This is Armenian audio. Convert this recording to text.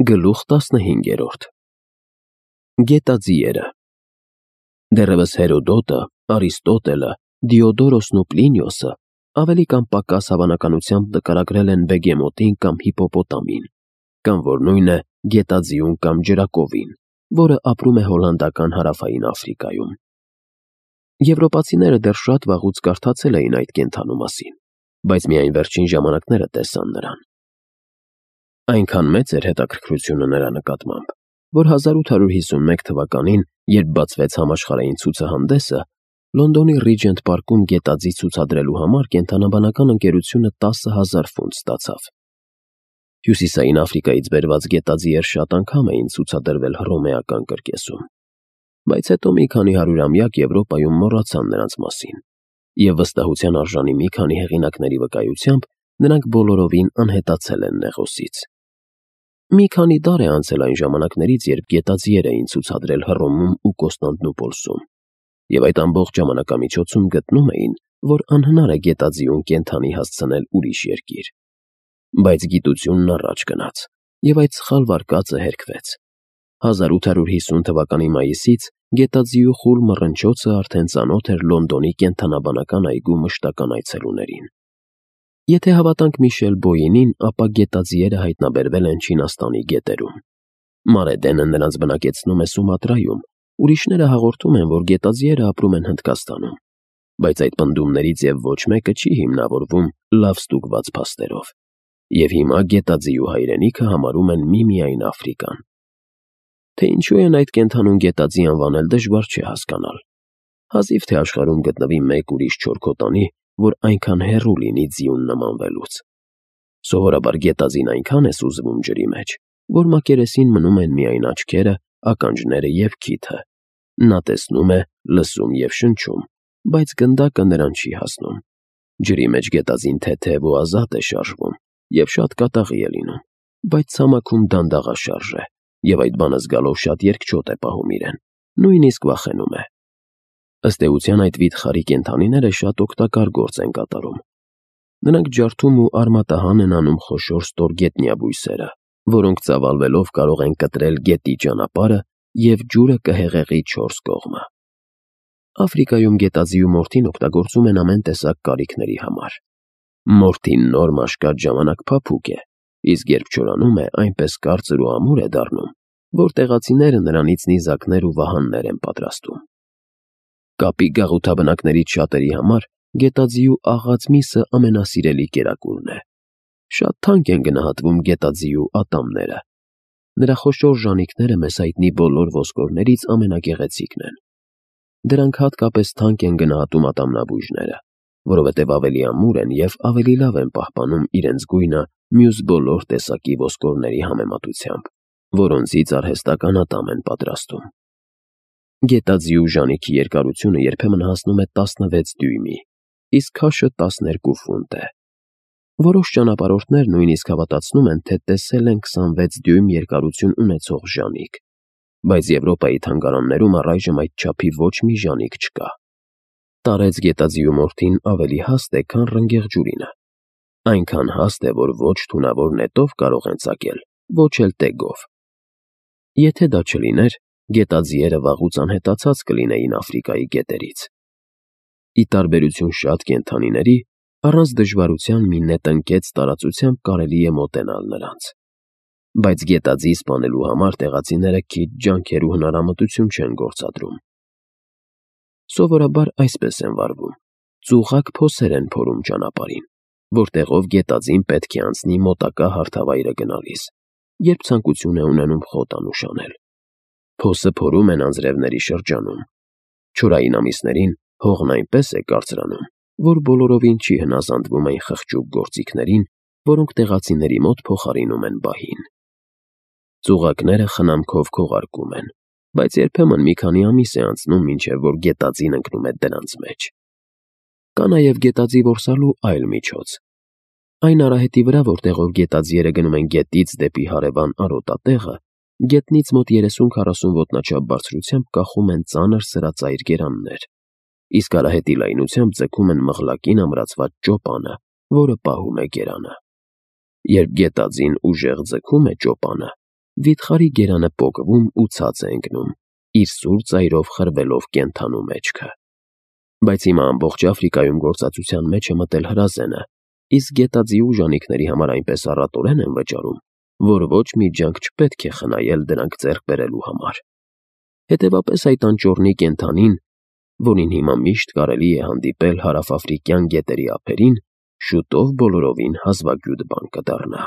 Գլուխ 15 Գետաձիերը Դեռևս Հերոդոտը, Արիստոտելը, Դիոդորոսն ու Պլինիոսը ավելի կամ պակաս հավանականությամբ նկարագրել են բեգեմոտին կամ հիպոպոտամին, կամ որ նույն է գետաձիուն կամ ջրակովին, որը ապրում է հոլանդական հարավային Աֆրիկայում։ Եվրոպացիները դեռ շատ վաղուց կարդացել էին այդ կենդանու մասին, բայց միայն վերջին ժամանակները տեսան նրան։ Այնքան մեծ էր հետաքրքրությունը նրա նկատմամբ, որ 1851 թվականին, երբ բացվեց համաշխարհային ցուցահանդեսը, Լոնդոնի Ռիջենտ պարկում գետաձի ցուցադրելու համար կենդանաբանական ընկերությունը 10,000 ֆունտ ստացավ։ Հյուսիսային Աֆրիկայից բերված գետաձիեր շատ անգամ էին ցուցադրվել հռոմեական կրկեսում, բայց հետո մի քանի հարյուրամյակ Եվրոպայում մոռացան նրանց մասին, և վստահության արժանի մի քանի հեղինակների վկայությամբ նրանք բոլորովին անհետացել են Նեղոսից։ Մի քանի դար է անցել այն ժամանակներից, երբ գետաձիեր էին ցուցադրել Հռոմում ու Կոստանդնուպոլսում, և այդ ամբողջ ժամանակամիջոցում գտնում էին, որ անհնար է գետաձիուն կենդանի հասցնել ուրիշ երկիր։ Բայց գիտությունն առաջ գնաց, և այդ սխալ վարկածը հերքվեց։ 1850 թվականի մայիսից գետաձիու խուլ մռնչոցը արդեն ծանոթ էր Լոնդոնի կենդանաբանական այգու մշտական այցելուներին։ Եթե հավատանք Միշել Բոյինին, ապա գետաձիերը հայտնաբերվել են Չինաստանի գետերում։ Մարեդենը նրանց բնակեցնում է Սումատրայում, ուրիշները հաղորդում են, որ գետաձիերը ապրում են Հնդկաստանում, բայց այդ պնդումներից և ոչ մեկը չի հիմնավորվում լավ ստուգված փաստերով, և հիմա գետաձիու հայրենիքը համարում են միմիայն Աֆրիկան։ Թե ինչու են այդ կենդանուն գետաձի անվանել, դժվար չէ հասկանալ։ Հազիվ թե աշխարհում գտնվի մեկ ուրիշ չորքոտանի, որ այնքան հեռու լինի ձիուն նմանվելուց։ Սովորաբար գետաձին այնքան է սուզվում ջրի մեջ, որ մակերեսին մնում են միայն աչքերը, ականջները և քիթը։ Նա տեսնում է, լսում և շնչում, բայց գնդակը նրան չի հասնում։ Ջրի մեջ գետաձին թեթև ու ազատ է շարժվում և շատ կատաղի է լինում, բայց ցամաքում դանդաղաշարժ է, և այդ բանը զգալով շատ երկչոտ է պահում իրեն, նույնիսկ վախենում է։ Ըստ էության այդ վիթխարի կենդանիները շատ օգտակար գործ են կատարում։ Նրանք ջարդում ու արմատահան են անում խոշոր ստորգետնյա բույսերը, որոնք ծավալվելով կարող են կտրել գետի ճանապարհը և ջուրը կհեղեղի 4 կողմը։ Աֆրիկայում գետաձիու մորթին օգտագործում են ամեն տեսակ կարիքների համար։ Մորթին նոր մաշկած ժամանակ փափուկ է, իսկ երբ չորանում է, այնպես կարծր ու ամուր է դառնում, որ տեղացիները նրանից նիզակներ ու վահաններ են պատրաստում։ Կապի գաղութաբնակներից շատերի համար գետաձիու աղած միսը ամենասիրելի կերակուրն է։ Շատ թանկ են գնահատվում գետաձիու ատամները։ Նրա խոշոր ժանիքները մեզ հայտնի բոլոր ոսկորներից ամենագեղեցիկն են։ Դրանք հատկապես թանկ են գնահատում ատամնաբույժները, որովհետև ավելի ամուր են և ավելի լավ են պահպանում իրենց գույնը մյուս բոլոր տեսակի ոսկորների համեմատությամբ, որոնցից արհեստական ատամ են պատրաստում։ Գետաձիու ժանիքի երկարությունը երբեմն հասնում է 16 դյույմի, իսկ քաշը 12 ֆունտ է։ Որոշ ճանապարհորդներ նույնիսկ հավատացնում են, թե տեսել են 26 դյույմ երկարություն ունեցող ժանիք, բայց Եվրոպայի թանգարաններում առայժմ այդ չափի ոչ մի ժանիք չկա։ Տարեց գետաձիու մորթին ավելի հաստ է, քան ռնգեղջուրինը։ Այնքան հաստ է, որ ոչ թունավոր նետով կարող են ծակել, ոչ էլ տեգով։ Եթե դա չլիներ, գետաձիերը վաղուց անհետացած կլինեին Աֆրիկայի գետերից։ Ի տարբերություն շատ կենդանիների, առանց դժվարության մի նետնկեց տարածությամբ կարելի է մոտենալ նրանց։ Բայց գետաձի սպանելու համար տեղացիները քիչ ջանքեր ու հնարամտություն չեն գործադրում։ Սովորաբար այսպես են վարվում. ծուղակ փոսեր են փորում ճանապարհին, որտեղով գետաձին պետք է անցնի մոտակա հարթավայրը գնալիս, երբ ցանկություն է ունենում խոտ անուշանել։ Փոսը փորում են անձրևների շրջանում։ Չորային ամիսներին հողն այնպես է կարծրանում, որ բոլորովին չի հնազանդվում այն խղճուկ գործիքներին, որոնք տեղացիների մոտ փոխարինում են բահին։ Ծուղակները խնամքով քողարկում են, բայց երբեմն մի քանի ամիս է անցնում, մինչև որ գետաձին ընկնում է դրանց մեջ։ Կա նաև գետաձի որսալու այլ միջոց։ Այն արահետի վրա, որտեղով գետաձիերը գնում են գետից դեպի հարևան արոտատեղը, գետնից մոտ 30-40 ոտնաչափ բարձրությամբ կախում են ծանր սրածայր գերաններ, իսկ արահետի լայնությամբ ձգում են մղլակին ամրացված ճոպանը, որը պահում է գերանը։ Երբ գետաձին ուժեղ ձգում է ճոպանը, Վիթխարի գերանը պոկվում ու ցած է ընկնում, իր սուր ծայրով խրվելով կենդանու մեջքը։ Բայց հիմա ամբողջ Աֆրիկայում գործածության մեջ է մտել հրազենը, իսկ գետաձի ուժանիքների համար այնպես առատորեն են վճարում, որ ոչ մի ջանք չպետք է խնայել դրանք ձեռք բերելու համար։ Հետևաբար այդ անճոռնի կենդանին, որին հիմա միշտ կարելի է հանդիպել հարավաֆրիկյան գետերի ափերին, շուտով բոլորովին հազվագյուտ բան կդառնա։